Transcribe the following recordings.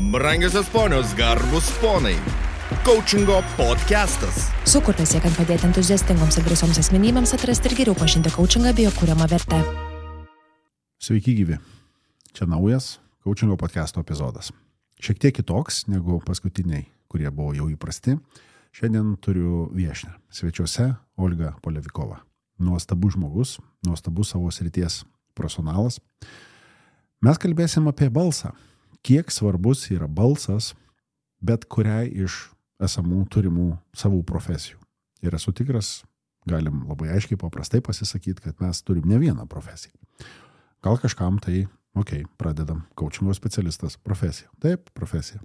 Brangiosios ponios, garbus ponai. Coachingo podcastas. Sukurtas siekiant padėti entuziastingoms ir drąsioms asmenybėms atrasti ir geriau pažinti coachingą bei jo kuriamą vertę. Sveiki gyvi. Čia naujas coachingo podcasto epizodas. Šiek tiek kitoks negu paskutiniai, kurie buvo jau įprasti. Šiandien turiu viešnią. Svečiuose Olga Polevikova. Nuostabus žmogus, nuostabus savo srities profesionalas. Mes kalbėsim apie balsą. Kiek svarbus yra balsas bet kuriai iš esamų turimų savų profesijų. Ir esu tikras, galim labai aiškiai paprastai pasisakyti, kad mes turim ne vieną profesiją. Gal kažkam tai, pradedam, coachingo specialistas, profesija. Taip, profesija.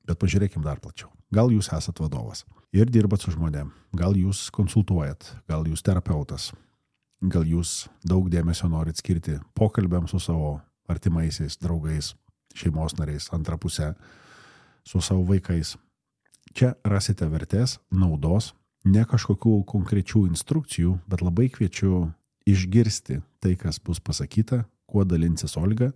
Bet pažiūrėkim dar plačiau. Gal jūs esat vadovas ir dirbat su žmonėm, gal jūs konsultuojat, gal jūs terapeutas, gal jūs daug dėmesio norit skirti pokalbiam su savo artimaisiais, draugais, šeimos nariais, antra pusė, su savo vaikais. Čia rasite vertės, naudos, ne kažkokių konkrečių instrukcijų, bet labai kviečiu išgirsti tai, kas bus pasakyta, kuo dalinsis Olga.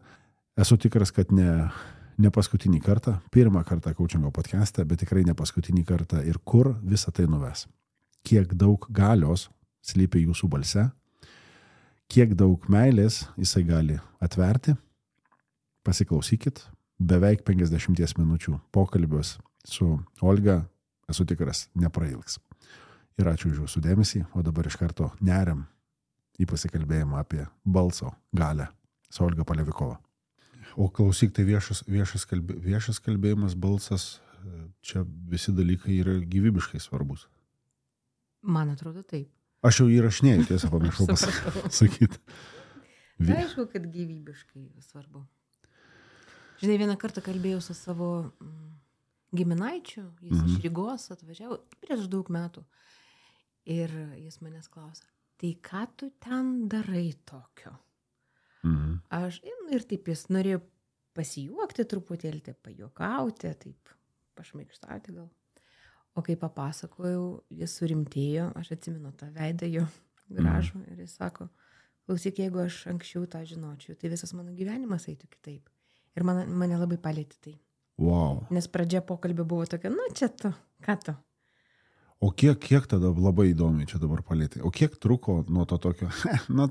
Esu tikras, kad ne paskutinį kartą, pirmą kartą coachingo podcast'e, bet tikrai ne paskutinį kartą ir kur visą tai nuves. Kiek daug galios slypi jūsų balse, kiek daug meilės jisai gali atverti. Pasiklausykit, beveik 50 minučių pokalbius su Olga, esu tikras, neprailgs. Ir ačiū už jūsų dėmesį, o dabar iš karto neriam į pasikalbėjimą apie balso galią su Olga Polevikova. O klausyk, tai viešas kalbėjimas, balsas, čia visi dalykai yra gyvybiškai svarbus. Man atrodo taip. Aš jau įrašinėjau, tiesą pamiršau pasakyti. Aišku, kad gyvybiškai svarbu. Žinai, vieną kartą kalbėjau su savo giminaičiu, jis iš Rygos atvažiavo prieš daug metų. Ir jis manęs klausia, tai ką tu ten darai tokio? Aš, ir taip jis norėjo pasijuokti truputėlį, taip pajuokauti, taip pašmaikštauti gal. O kai papasakojau, jis surimtėjo, aš atsimenu tą veidą jo gražų ir jis sako, klausyk, jeigu aš anksčiau tą žinočiau, tai visas mano gyvenimas eitų kitaip. Ir mane labai palėtė tai. Wow. Nes pradžia pokalbio buvo tokia, čia tu, ką tu? O kiek tada labai įdomiai čia dabar palėtė? O kiek truko nuo to tokio,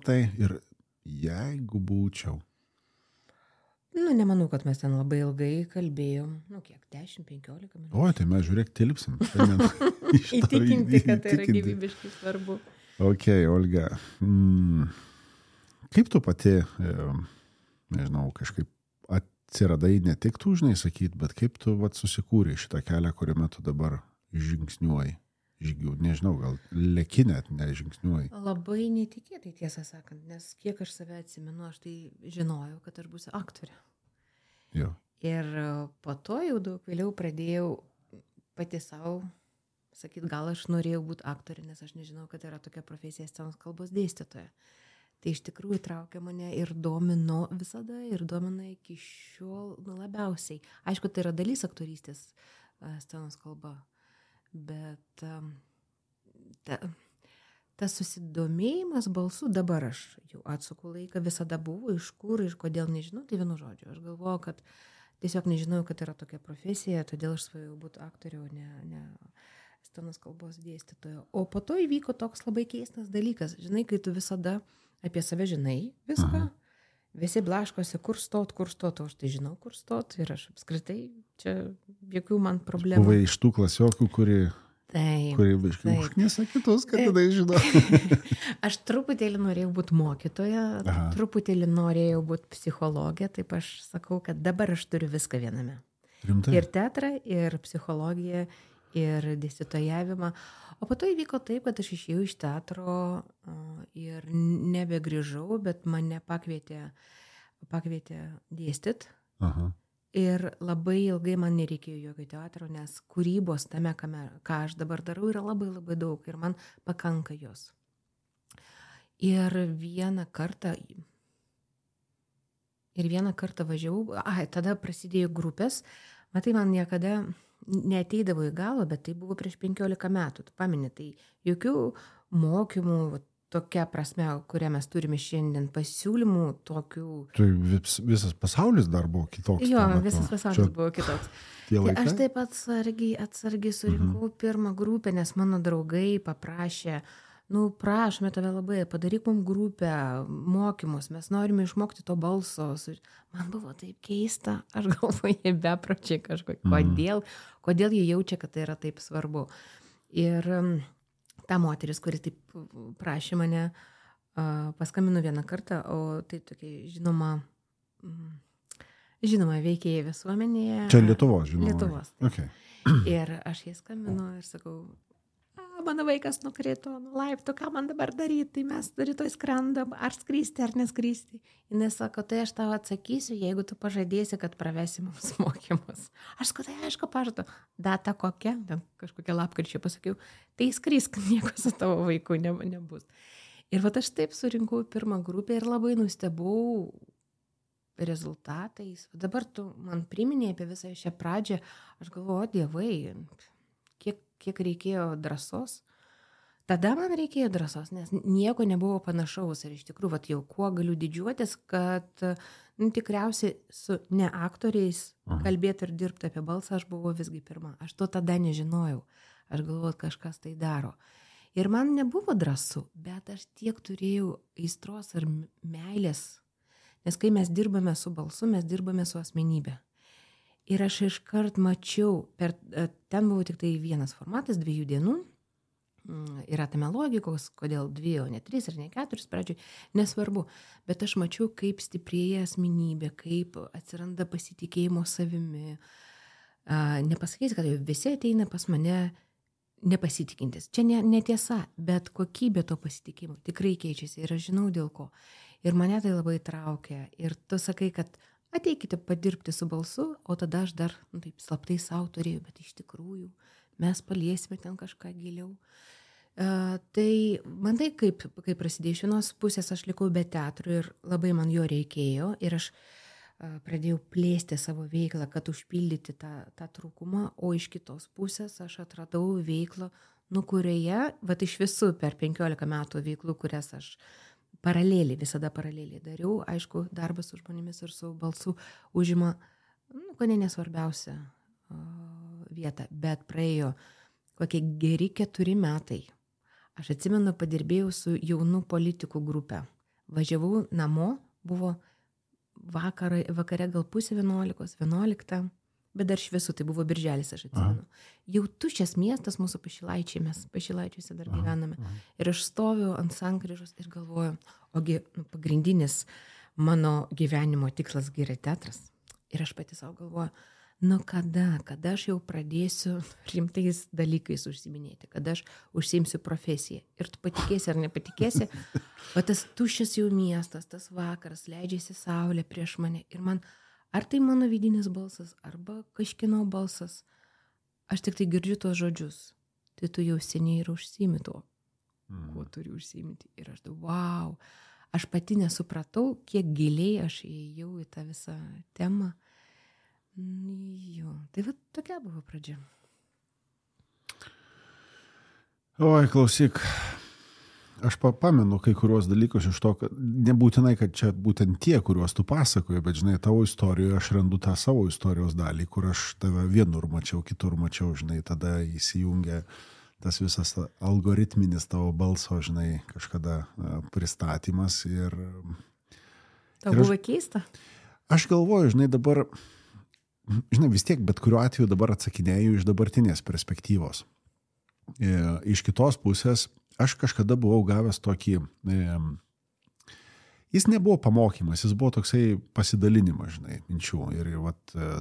tai ir jeigu būčiau? Nemanau, kad mes ten labai ilgai kalbėjom. 10-15 minučių. O, tai mes žiūrėk, tilpsim. Įtikinti, kad tai yra gyvybiškai svarbu. Ok, Olga. Kaip tu pati, nežinau, kažkaip atsiradai ne tik tu, žinai, sakyt, bet kaip tu susikūrė šitą kelią, kuriame tu dabar žingsniuoji, nežinau, gal leki net, nežingsniuoji. Labai netikėtai, tiesą sakant, nes kiek aš save atsimenu, aš tai žinojau, kad aš būsiu aktorė. Jo. Ir po to jau daug vėliau pradėjau pati savo sakyti, gal aš norėjau būti aktorė, nes aš nežinau, kad yra tokia profesija scenos kalbos dėstytoja. Tai iš tikrųjų traukė mane ir domino visada, ir domina iki šiol labiausiai. Aišku, tai yra dalis aktorystės scenos kalba, bet tas susidomėjimas balsu dabar aš jau atsuku laiką, visada buvo, iš kur ir kodėl nežinau, tai vienu žodžiu. Aš galvoju, kad tiesiog nežinau, kad yra tokia profesija, todėl aš svajojau būti aktorė, o ne scenos kalbos dėstytoja. O po to įvyko toks labai keistas dalykas. Žinai, kai tu visada apie save žinai viską, visi blaškosi, kur stot, o aš tai žinau, kur stot ir aš apskritai, čia jokių man problemų. Buvai iš tų klasiokių, kuri užknisa kitus, kad tada žinau. Aš truputėlį norėjau būti mokytoja, truputėlį norėjau būti psichologė, taip aš sakau, kad dabar aš turiu viską viename. Rimtai? Ir teatrą, ir psichologiją, ir dėstytojavimą. O po to įvyko taip, kad aš išėjau iš teatro ir nebegrįžau, bet mane pakvietė dėstyt. Ir labai ilgai man nereikėjo jokio teatro, nes kūrybos tame, ką aš dabar darau, yra labai labai daug ir man pakanka jos. Ir vieną kartą važiavau, tada prasidėjo grupės, matai, man niekada neateidavo į galą, bet tai buvo prieš 15 metų, tu pameni, tai jokių mokymų, tokia prasme, kurią mes turime šiandien pasiūlymų, tokių... Tai visas pasaulis dar buvo kitoks. Jo, visas pasaulis buvo kitoks. Tai aš taip atsargiai surinkau pirmą grupę, nes mano draugai paprašė, prašome tave labai, padaryk mums grupę, mokymus, mes norime išmokti to balso. Man buvo taip keista, aš galvoju, jie bepročiai kažkokie, kodėl jie jaučia, kad tai yra taip svarbu. Ir ta moteris, kuri taip prašė mane, paskambino vieną kartą, o tai tokia žinoma veikėja visuomenėje. Čia Lietuvos, žinoma. Lietuvos. Okay. Ir aš jai skambinu ir sakau, mano vaikas nukrito nuo laiptų, ką man dabar daryti, tai mes rytoj skrendam, ar skristi, ar neskristi. Jis sako, tai aš tau atsakysiu, jeigu tu pažadėsi, kad pravesi mums mokymus. Aš sakau, tai aišku, pažadu. Data kokia, kažkokia lapkričio pasakiau, tai skrisk, nieko su tavo vaiku nebus. Ir aš taip surinkau pirmą grupę ir labai nustebau rezultatais. Dabar tu man priminėjai apie visą šią pradžią, aš galvoju, dievai, kiek reikėjo drąsos. Tada man reikėjo drąsos, nes nieko nebuvo panašaus. Ir iš tikrųjų, jau kuo galiu didžiuotis, kad tikriausiai su ne aktoriais kalbėti ir dirbti apie balsą aš buvau visgi pirma. Aš to tada nežinojau. Aš galvojau, kažkas tai daro. Ir man nebuvo drąsu, bet aš tiek turėjau aistros ir meilės. Nes kai mes dirbame su balsu, mes dirbame su asmenybė. Ir aš iškart mačiau, ten buvo tik tai vienas formatas, 2 dienų, yra tame logikos, kodėl 2, o ne 3 ir ne 4 pradžioj, nesvarbu, bet aš mačiau, kaip stiprėja asmenybė, kaip atsiranda pasitikėjimo savimi. Nepasakysi, kad visi ateina pas mane nepasitikintis. Čia netiesa, bet kokybė to pasitikėjimo tikrai keičiasi ir aš žinau dėl ko. Ir mane tai labai traukia. Ir tu sakai, kad ateikite padirbti su balsu, o tada aš dar taip slaptai savo turėjau, bet iš tikrųjų mes paliesime ten kažką giliau. Tai man tai kaip prasidėjo, iš vienos pusės aš likau be teatro ir labai man jo reikėjo ir aš pradėjau plėsti savo veiklą, kad užpildyti tą trūkumą, o iš kitos pusės aš atradau veiklą, kurioje, iš visų per 15 metų veiklų, kurias aš visada paraleliai dariau, aišku, darbas su žmonėmis ir su balsu užima, ko nesvarbiausia vietą, bet praėjo kokie geri 4 metai. Aš atsimenu, padirbėjau su jaunų politikų grupė. Važiavau namo, buvo vakare gal 10:30, bet dar šviesu, tai buvo birželis, aš atsimenu. Jau tuščias miestas mūsų Pašilaičiai, mes Pašilaičiuose dar gyvename. Ir aš stoviu ant sankryžos ir galvoju, ogi pagrindinis mano gyvenimo tikslas yra teatras. Ir aš pati savo galvoju, kada aš jau pradėsiu rimtais dalykais užsiminėti, kada aš užsiimsiu profesiją. Ir tu patikėsi ar nepatikėsi, o tas tuščias jau miestas, tas vakaras, leidžiasi saulė prieš mane. Ir man, ar tai mano vidinis balsas, arba kažkieno balsas, aš tik tai girdžiu tos žodžius. Tai tu jau seniai ir užsiimi tuo, kuo turi užsiimti. Ir aš wow, aš pati nesupratau, kiek giliai aš įėjau į tą visą temą. Jo, tai tokia buvo pradžia. Oi, klausyk, aš pamenu kai kuriuos dalykus iš to, kad nebūtinai, kad čia būtent tie, kuriuos tu pasakoji, bet žinai, tavo istorijoje aš randu tą savo istorijos dalį, kur aš tave vienur mačiau, kitur mačiau, žinai, tada įsijungia tas visas algoritminis tavo balso, žinai, kažkada pristatymas ir... Tau buvo keista? Aš galvoju, žinai, dabar... Žinai, vis tiek, bet kuriuo atveju dabar atsakinėju iš dabartinės perspektyvos. Iš kitos pusės, aš kažkada buvau gavęs tokį, jis nebuvo pamokymas, jis buvo toksai pasidalinimas, žinai, minčių. Ir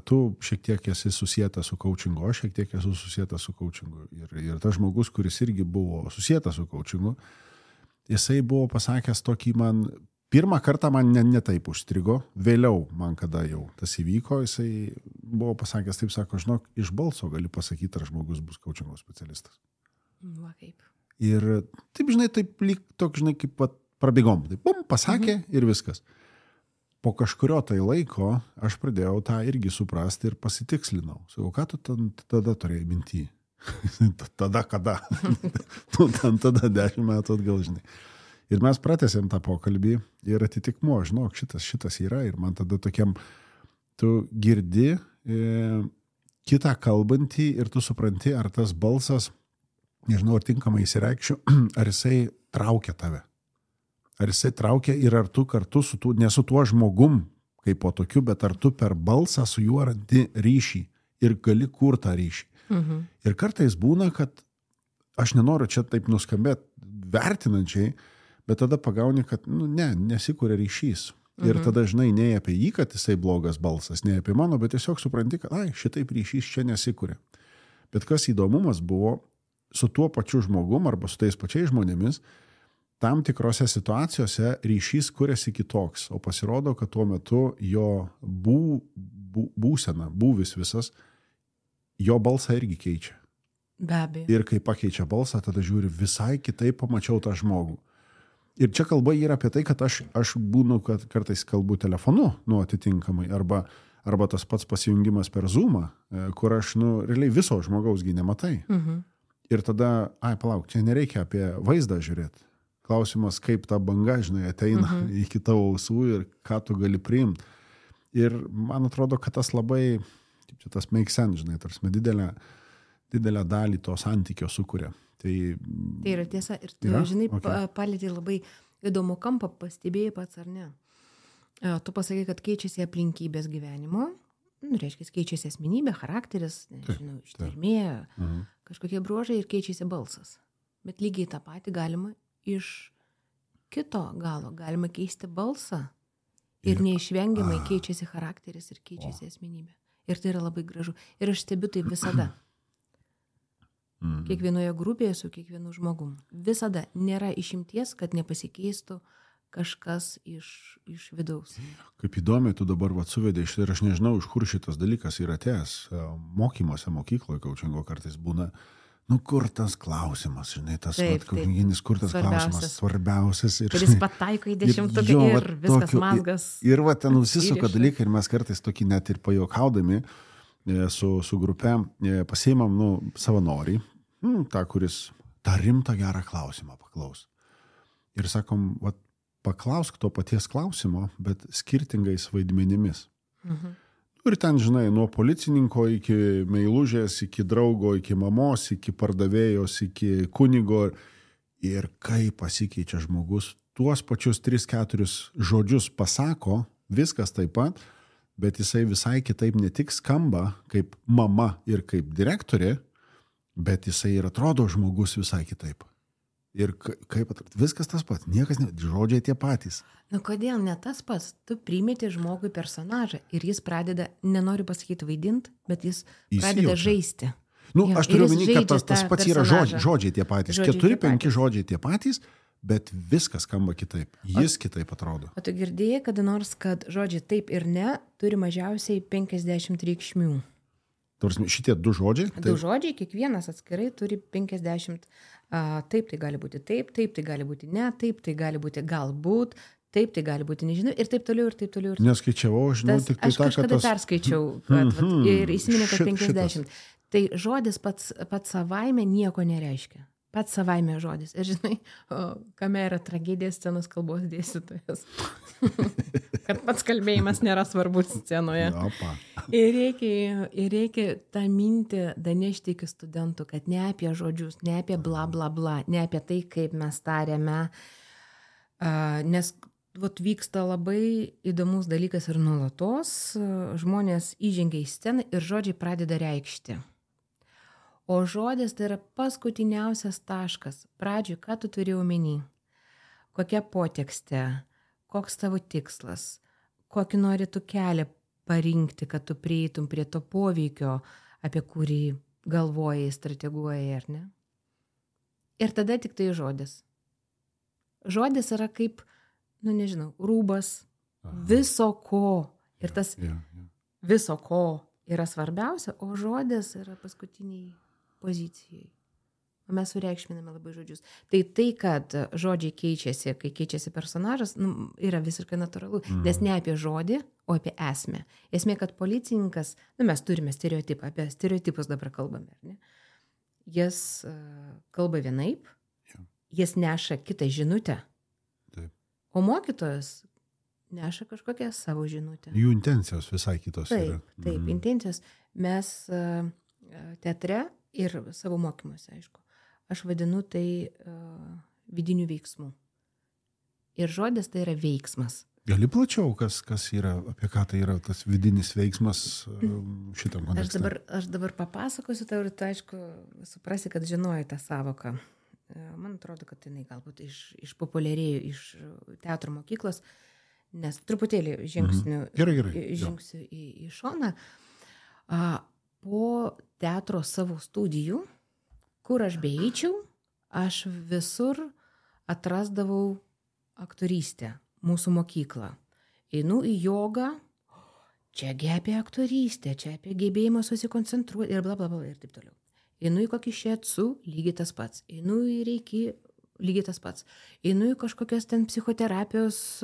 tu šiek tiek esi susietas su coachingu, aš šiek tiek esu susietas su coachingu. Ir tas žmogus, kuris irgi buvo susietas su coachingu, jisai buvo pasakęs tokį man... Pirmą kartą man ne taip užstrigo, vėliau man kada jau tas įvyko, jisai buvo pasakęs, taip sako, žinok, iš balso gali pasakyti, ar žmogus bus coachingo specialistas. Va kaip. Ir taip, žinai, taip lyg toks, žinai, kaip prabėgom, taip, pasakė ir viskas. Po kažkurio tai laiko aš pradėjau tą irgi suprasti ir pasitikslinau. Sakau, ką tu tada turėjai minty? Tada kada? Tu ten tada 10 metų atgal, žinai. Ir mes pratęsėm tą pokalbį ir atitikmuo, žinok, šitas yra ir man tada tokiam, tu girdi kitą kalbantį ir tu supranti, ar tas balsas, nežinau, ar tinkamai įsireikšiu, ar jisai traukia tave. Ar jisai traukia ir ar tu kartu ne su tuo žmogum, kaip po tokiu, bet ar tu per balsą su juo randi ryšį ir gali kur tą ryšį. Ir kartais būna, kad aš nenoriu čia taip nuskambėti vertinančiai, bet tada pagauni, kad nesikuria ryšys. Ir tada, žinai, ne apie jį, kad jisai blogas balsas, ne apie mano, bet tiesiog supranti, kad šitaip ryšys čia nesikuria. Bet kas įdomumas buvo, su tuo pačiu žmogum arba su tais pačiais žmonėmis, tam tikrose situacijose ryšys kuriasi kitoks, o pasirodo, kad tuo metu jo būsena, būvis visas, jo balsą irgi keičia. Be abejo. Ir kai pakeičia balsą, tada žiūri, visai kitaip pamačiau tą žmogų. Ir čia kalba yra apie tai, kad aš būnu, kad kartais kalbu telefonu, atitinkamai, arba tas pats pasijungimas per Zoomą, kur aš, realiai viso žmogausgi nematai. Ir tada, palauk, čia nereikia apie vaizdą žiūrėti. Klausimas, kaip ta banga, žinai, ateina iki tavo ausų ir ką tu gali priimti. Ir man atrodo, kad tas labai, kaip čia tas make sense, žinai, tarsi didelę dalį to santykio sukuria. Tai yra tiesa. Ir tu, žinai, palėtė labai įdomų kampą, pastebėjai pats ar ne. Tu pasakai, kad keičiasi aplinkybės gyvenimo, reiškia, keičiasi asmenybė, charakteris, nežinau, ištarmė, kažkokie bruožai ir keičiasi balsas. Bet lygiai tą patį galima iš kito galo, galima keisti balsą ir neišvengiamai keičiasi charakteris ir keičiasi asmenybė. Ir tai yra labai gražu. Ir aš stebiu tai visada. Kiekvienoje grupėje su kiekvienu žmogum. Visada nėra išimties, kad nepasikeistų kažkas iš vidaus. Kaip įdomiai tu dabar suvedė ir aš nežinau, iš kur šitas dalykas yra atėjęs. Mokymuose, mokykloje, kaučingo kartais būna, kur tas klausimas, žinai, tas kaučinginis, kur tas klausimas svarbiausias. Kuris pataiko į 10-tuką ir viskas mazgas. Ir ten nusisuka dalykai ir mes kartais tokį net ir pajuokaudami su grupe pasiimam savanorį, tą, kuris tą rimtą gerą klausimą paklaus. Ir sakom, paklausk to paties klausimo, bet skirtingais vaidmenimis. Ir ten, žinai, nuo policininko iki meilužės, iki draugo, iki mamos, iki pardavėjos, iki kunigo. Ir kaip pasikeičia žmogus, tuos pačius 3-4 žodžius pasako, viskas taip pat, bet jisai visai kitaip ne tik skamba kaip mama ir kaip direktorė, bet jisai ir atrodo žmogus visai kitaip. Ir kaip atrodo, viskas tas pats, niekas žodžiai tie patys. Kodėl ne tas pats? Tu primeti žmogui personažą ir jis pradeda, nenoriu pasakyti vaidinti, bet jis pradeda žaisti. Aš turiu omeny, kad tas pats yra žodžiai tie patys. 4-5 žodžiai tie patys, bet viskas skamba kitaip. Jis kitaip atrodo. O tu girdėjai kada nors, kad žodžiai taip ir ne turi mažiausiai 50 reikšmių? Šitie 2 žodžiai? 2 žodžiai, kiekvienas atskirai turi 50. Taip, tai gali būti taip, tai gali būti ne, taip, tai gali būti galbūt, taip, tai gali būti nežinau, ir taip toliau, ir taip toliau. Neskaičiavau, žinau, tik tai aš kažkada perskaičiau, ir įsiminė, kad 50. Tai žodis pats savaime nieko nereiškia. Pats savaime žodis. Ir žinai, kame yra tragedija scenos kalbos dėstytojas. Kad pats kalbėjimas nėra svarbus scenoje. Ir reikia tą mintį danešti iki studentų, kad ne apie žodžius, ne apie bla bla bla, ne apie tai, kaip mes tariame. Nes vyksta labai įdomus dalykas ir nuolatos. Žmonės įžengia į sceną ir žodžiai pradeda reikšti. O žodis tai yra paskutiniausias taškas. Pradžiui, ką tu turi omeny? Kokia potekstė? Koks tavo tikslas? Kokį nori tu kelią parinkti, kad tu prieitum prie to poveikio, apie kurį galvojai, strateguojai, ar ne? Ir tada tik tai žodis. Žodis yra kaip, nežinau, rūbas viso ko. Ir tas viso ko yra svarbiausia, o žodis yra paskutiniai pozicijai. O mes sureikšminame labai žodžius. Tai, kad žodžiai keičiasi, kai keičiasi personažas, yra visiškai natūralu. Nes ne apie žodį, o apie esmę. Esmė, kad policininkas, mes turime stereotipą, apie stereotipus dabar kalbame, ar ne? Jis kalba vienaip, jis neša kitą žinutę, O mokytojas neša kažkokią savo žinutę. Jų intencijos visai kitos yra. Taip, intencijos. Mes teatre ir savo mokymuose, aišku, aš vadinu tai vidinių veiksmų. Ir žodis tai yra veiksmas. Gali plačiau, kas yra, apie ką tai yra tas vidinis veiksmas šitam kontekste? Aš dabar papasakosiu tau ir tu, aišku, suprasi, kad žinoji tą savoką. Man atrodo, kad jinai galbūt išpopuliarėjo iš teatro mokyklos, nes truputėlį žingsiu į šoną. Po teatro savo studijų, kur aš beeičiau, aš visur atrasdavau aktorystę, mūsų mokyklą. Einu į jogą, čiagi apie aktorystę, čia apie gebėjimą susikoncentruoti ir blablabla ir taip toliau. Einu į kokį šietsu, lygiai tas pats. Einu į reiki, lygiai tas pats. Einu į kažkokias ten psichoterapijos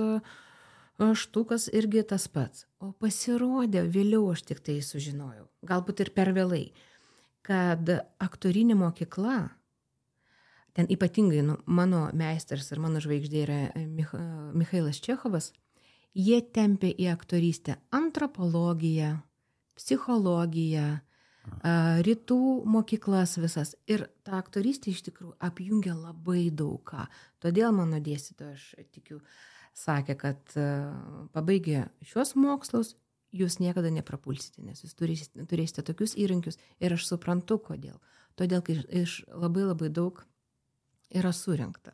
štukas, irgi tas pats. O pasirodė, vėliau aš tik tai sužinojau, galbūt ir per vėlai, kad aktorinė mokykla, ten ypatingai mano meistras ir mano žvaigždė yra Michailas Čechovas, jie tempė į aktorystę antropologiją, psichologiją, rytų mokyklas visas. Ir ta aktorystė iš tikrųjų apjungia labai daug ką. Todėl mano dėstytoja, aš tikiu, sakė, kad pabaigę šios mokslus, jūs niekada neprapulsite, nes jūs turėsite tokius įrankius. Ir aš suprantu, kodėl. Todėl, kai iš labai labai daug yra surinkta.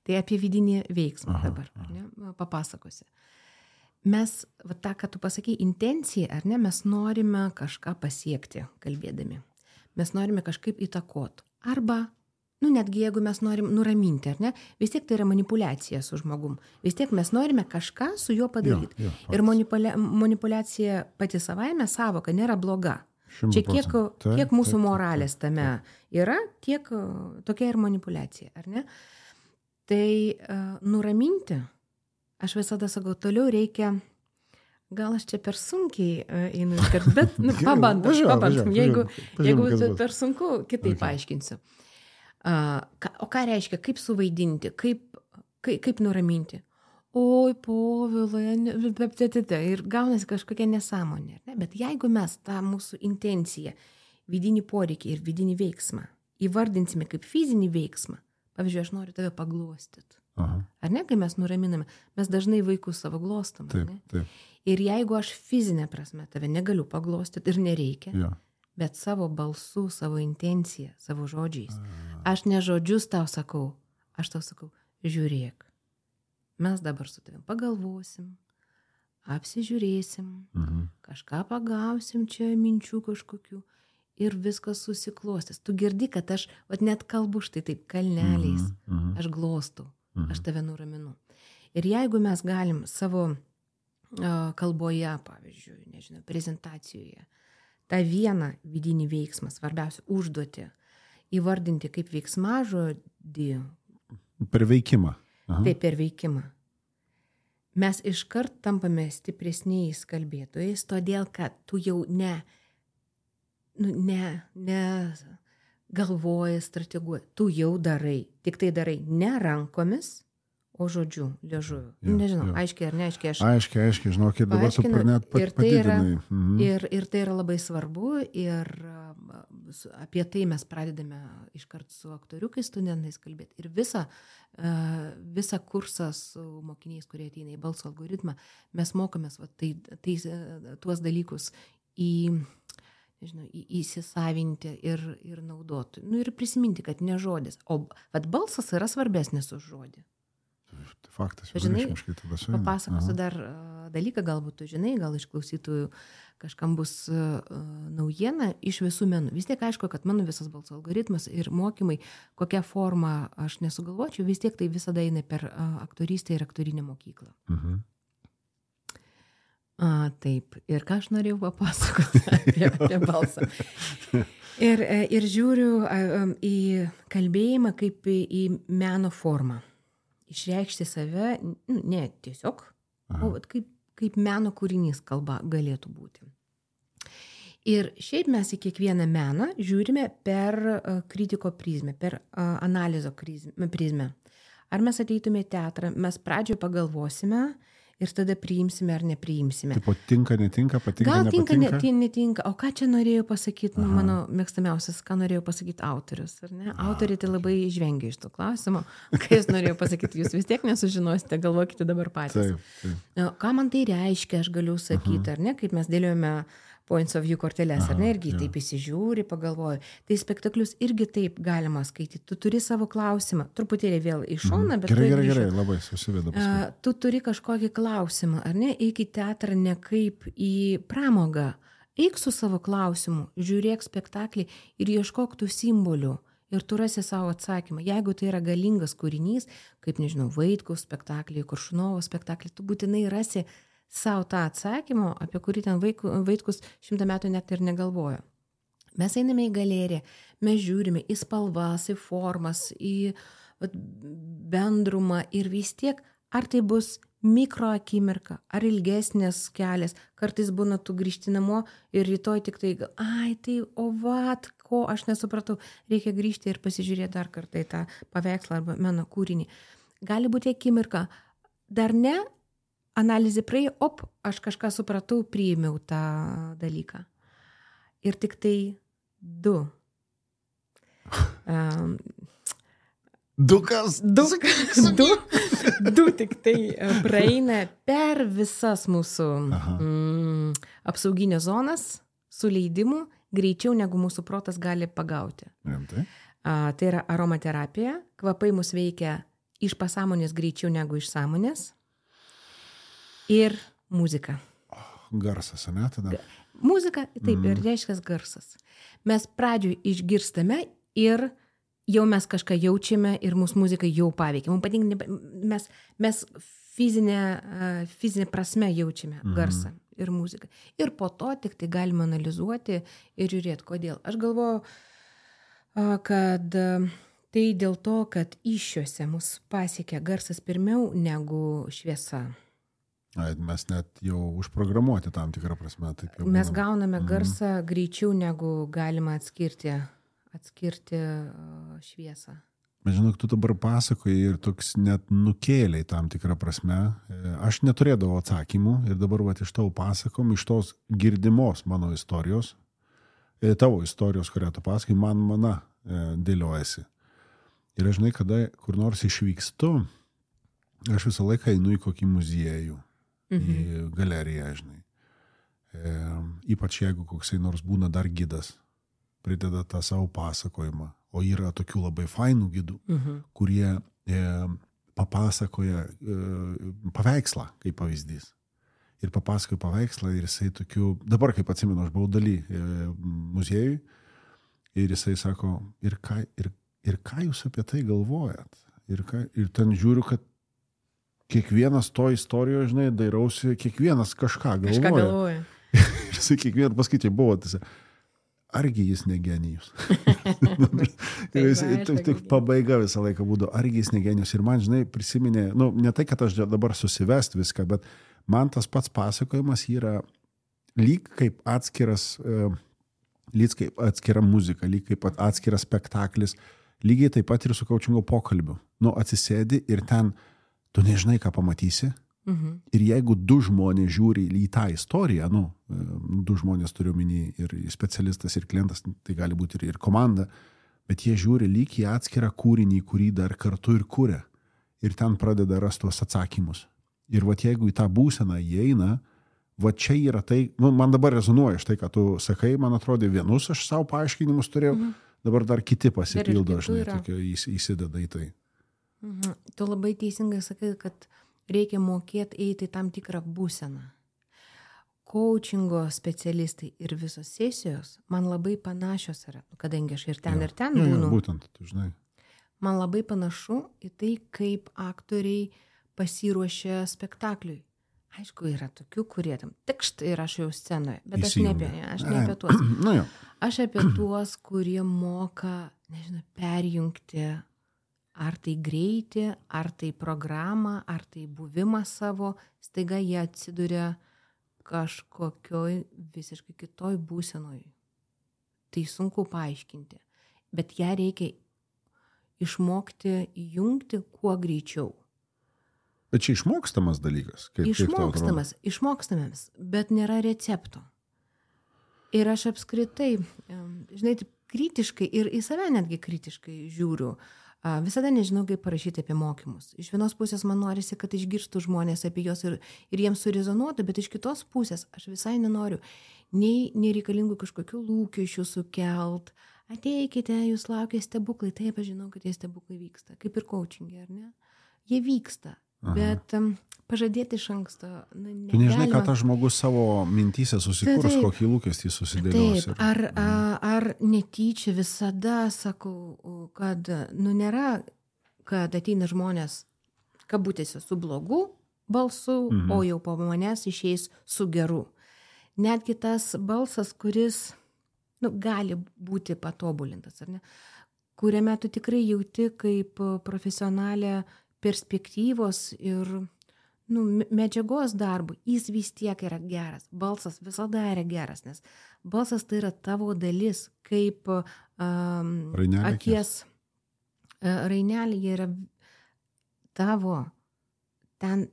Tai apie vidinį veiksmą dabar papasakosi. Mes, tą, ką tu pasakei, intencija, ar ne, mes norime kažką pasiekti, kalbėdami. Mes norime kažkaip įtakoti. Arba, netgi jeigu mes norim nuraminti, ar ne, vis tiek tai yra manipuliacija su žmogum. Vis tiek mes norime kažką su juo padaryti. Ir manipuliacija pati savaime savoka nėra bloga. 100%. Čia kiek mūsų moralės tame yra, tiek tokia ir manipuliacija, ar ne? Tai nuraminti, aš visada sakau, toliau reikia, gal aš čia per sunkiai einu, bet pabandom. Jeigu per sunku, kitaip paaiškinsiu. O ką reiškia, kaip suvaidinti, kaip nuraminti? Oi, Povilai, ir gaunasi kažkokia nesąmonė. Ne? Bet jeigu mes tą mūsų intenciją, vidinį poreikį ir vidinį veiksmą įvardinsime kaip fizinį veiksmą, pavyzdžiui, aš noriu tave paglostyti. Ar ne, kai mes nuraminame, mes dažnai vaikus savo glostam. Taip. Ir jeigu aš fizinė prasme tave negaliu paglostyti ir nereikia, bet savo balsu, savo intenciją, savo žodžiais, aš ne žodžius tau sakau, aš tau sakau, žiūrėk. Mes dabar su tavim pagalvosim, apsižiūrėsim, kažką pagausim čia minčių kažkokių ir viskas susiklostys. Tu girdi, kad aš net kalbu štai taip kalneliais, aš glostau, aš tave nuraminu. Ir jeigu mes galim savo kalboje, pavyzdžiui, nežinau, prezentacijoje, tą vieną vidinį veiksmą, svarbiausia užduotį, įvardinti kaip veiksmažodį. Per veikimą. Taip, per veikimą. Mes iškart tampame stipresniais kalbėtojais, todėl, kad tu jau ne galvoji, strateguoji, tu jau darai, tik tai darai ne rankomis, o žodžiu, liežuviu. Nežinau, aiškiai ar neaiškiai aš. Aiškiai, žinok, ir dabar tu net padidinai. Ir tai yra labai svarbu ir apie tai mes pradedame iškart su aktoriukais, studentais kalbėti. Ir visą kursą su mokiniais, kurie ateina į balso algoritmą, mes mokomės tuos dalykus įsisavinti ir naudoti. Ir prisiminti, kad ne žodis. O balsas yra svarbesnis už žodį. Faktas, vienareikšmiškai tada suėmė. Papasakosiu dar dalyką, galbūt tu žinai, gal iš klausytojų kažkam bus naujiena iš visų menų. Vis tiek aišku, kad mano visas balso algoritmas ir mokymai, kokią formą aš nesugalvočiau, vis tiek tai visada eina per aktorystę ir aktorinę mokyklą. Taip, ir ką aš norėjau papasakoti apie balsą. Ir žiūriu į kalbėjimą kaip į meno formą. Išreikšti save, ne tiesiog, o kaip meno kūrinys kalba galėtų būti. Ir šiaip mes į kiekvieną meną žiūrime per kritiko prizmę, per analizo prizmę. Ar mes ateitume į teatrą, mes pradžioje pagalvosime ir tada priimsime ar nepriimsime. Tipo, tinka, netinka, patinka, Gal tinka, nepatinka? netinka. O ką čia norėjo pasakyti, mano mėgstamiausias, ką norėjo pasakyti autorius, ar ne? Autoriai tai labai žvengia iš to klausimo. Ką jis norėjo pasakyti, jūs vis tiek nesužinosite, galvokite dabar patys. Taip. Ką man tai reiškia, aš galiu sakyti, ar ne, kaip mes dėliojame points of view korteles, ar ne, irgi taip įsižiūri, pagalvoju. Tai spektaklius irgi taip galima skaityti. Tu turi savo klausimą, truputėlį vėl iš šoną, bet... Gerai, labai susiveda paskui. Tu turi kažkokį klausimą, ar ne, eik į teatrą ne kaip į pramogą. Eik su savo klausimu, žiūrėk spektaklį ir ieškok tų simbolių. Ir tu rasi savo atsakymą. Jeigu tai yra galingas kūrinys, kaip, nežinau, Vaitkaus spektaklį, Koršunovo spektaklį, tu būtinai rasi savo tą atsakymą, apie kurį ten Vaitkus 100 metų net ir negalvojo. Mes einame į galeriją, mes žiūrime į spalvas, į formas, į bendrumą ir vis tiek, ar tai bus mikro akimirka, ar ilgesnės kelias, kartais būna tu grįžti namo ir rytoj tik tai, tai ko aš nesupratau, reikia grįžti ir pasižiūrėti dar kartą į tą paveikslą arba meno kūrinį. Gali būti akimirka, dar ne, analizė praėjo, aš kažką supratau, priėmiau tą dalyką. Ir tik tai du. Du kas? Du tik tai praeina per visas mūsų apsauginės zonas su leidimu greičiau, negu mūsų protas gali pagauti. Rimtai? Tai yra aromaterapija. Kvapai mus veikia iš pasąmonės greičiau negu iš sąmonės. Ir muzika. Garsas, ne? Tada? Muzika, taip, ir reiškia garsas. Mes pradžioj išgirstame ir jau mes kažką jaučiame ir mūsų muzika jau paveikia. Mums patinka, mes fizinė prasme jaučiame garsą ir muziką. Ir po to tik tai galime analizuoti ir žiūrėti, kodėl. Aš galvoju, kad tai dėl to, kad iššiuose mus pasiekia garsas pirmiau negu šviesa. Mes net jau užprogramuoti tam tikrą prasme. Taip jau mes gauname garsą greičiau, negu galima atskirti šviesą. Bet žinok, tu dabar pasakoji ir toks net nukėliai tam tikrą prasme. Aš neturėdavau atsakymų ir dabar iš tavo pasakom, iš tos girdimos mano istorijos, tavo istorijos, kurią tu pasakai, mana dėliojasi. Ir aš žinai, kada kur nors išvykstu, aš visą laiką einu į kokį muziejų. Į galeriją, žinai. Ypač jeigu koksai nors būna dar gidas, prideda tą savo pasakojimą, o yra tokių labai fainų gidų, kurie papasakoja paveikslą, kaip pavyzdys. Ir papasakoja paveikslą ir jisai tokių, dabar kaip atsimenu, aš buvau daly muziejui ir jisai sako, ir ką jūs apie tai galvojat? Ir ten žiūriu, kad kiekvienas to istorijoje, žinai, dairausi, kiekvienas kažką galvoja. Ir jisai kiekvieną paskaitai buvo, tai argi jis ne genijus. Tik pabaiga visą laiką būdavo, argi jis ne genijus. Ir man, žinai, prisiminė, ne tai, kad aš dabar susivest viską, bet man tas pats pasakojimas yra lyg kaip atskira muzika, lyg kaip atskiras spektaklis, lygiai taip pat ir su kaučingo pokalbiu. Atsisėdi ir ten tu nežinai, ką pamatysi. Ir jeigu du žmonės žiūri į tą istoriją, du žmonės turiu omeny ir specialistas, ir klientas, tai gali būti ir komanda, bet jie žiūri lyg į atskirą kūrinį, kurį dar kartu ir kuria. Ir ten pradeda rasti tuos atsakymus. Ir jeigu į tą būseną įeina, čia yra tai, man dabar rezonuoja štai, ką tu sakai, man atrodo, vienus aš savo paaiškinimus turėjau, dabar dar kiti pasipildo, žinai, įsideda į tai. Tu labai teisingai sakai, kad reikia mokėti eiti tam tikrą būseną. Coachingo specialistai ir visos sesijos man labai panašios yra, kadangi aš ir ten būnu. Būtent, tu žinai. Man labai panašu į tai, kaip aktoriai pasiruošia spektakliui. Aišku, yra tokių, kurie tam tikšt ir aš jau scenoje, bet aš ne apie tuos. Aš apie tuos, kurie moka, perjungti ar tai greitį, ar tai programą, ar tai buvimą savo, staiga jie atsiduria kažkokioj visiškai kitoj būsenoj. Tai sunku paaiškinti, bet ją reikia išmokti įjungti kuo greičiau. Bet čia išmokstamas dalykas. Išmokstamas, bet nėra recepto. Ir aš apskritai, žinai, taip kritiškai ir į save netgi kritiškai žiūriu. Visada nežinau, kaip parašyti apie mokymus. Iš vienos pusės man norisi, kad išgirstų žmonės apie juos ir jiems surezonuotų, bet iš kitos pusės aš visai nenoriu nei nereikalingų kažkokių lūkesčių sukelt. Ateikite, jūs laukia stebuklai. Taip, aš žinau, kad tie stebuklai vyksta. Kaip ir coachingė, ar ne? Jie vyksta. Bet pažadėti iš anksto negalima. Tu nežinai, ką tas žmogus savo mintyse susikurs, kokį lūkestį susidėlios. Taip, ar netyčia visada sakau, kad nėra, kad ateina žmonės kabutėse su blogu balsu, o jau po manęs išeis su geru. Netgi tas balsas, kuris gali būti patobulintas, ar ne? Kuriame tu tikrai jauti kaip profesionalė perspektyvos ir medžiagos darbų, jis vis tiek yra geras. Balsas visada yra geras, nes balsas tai yra tavo dalis, kaip akies rainelė yra tavo, ten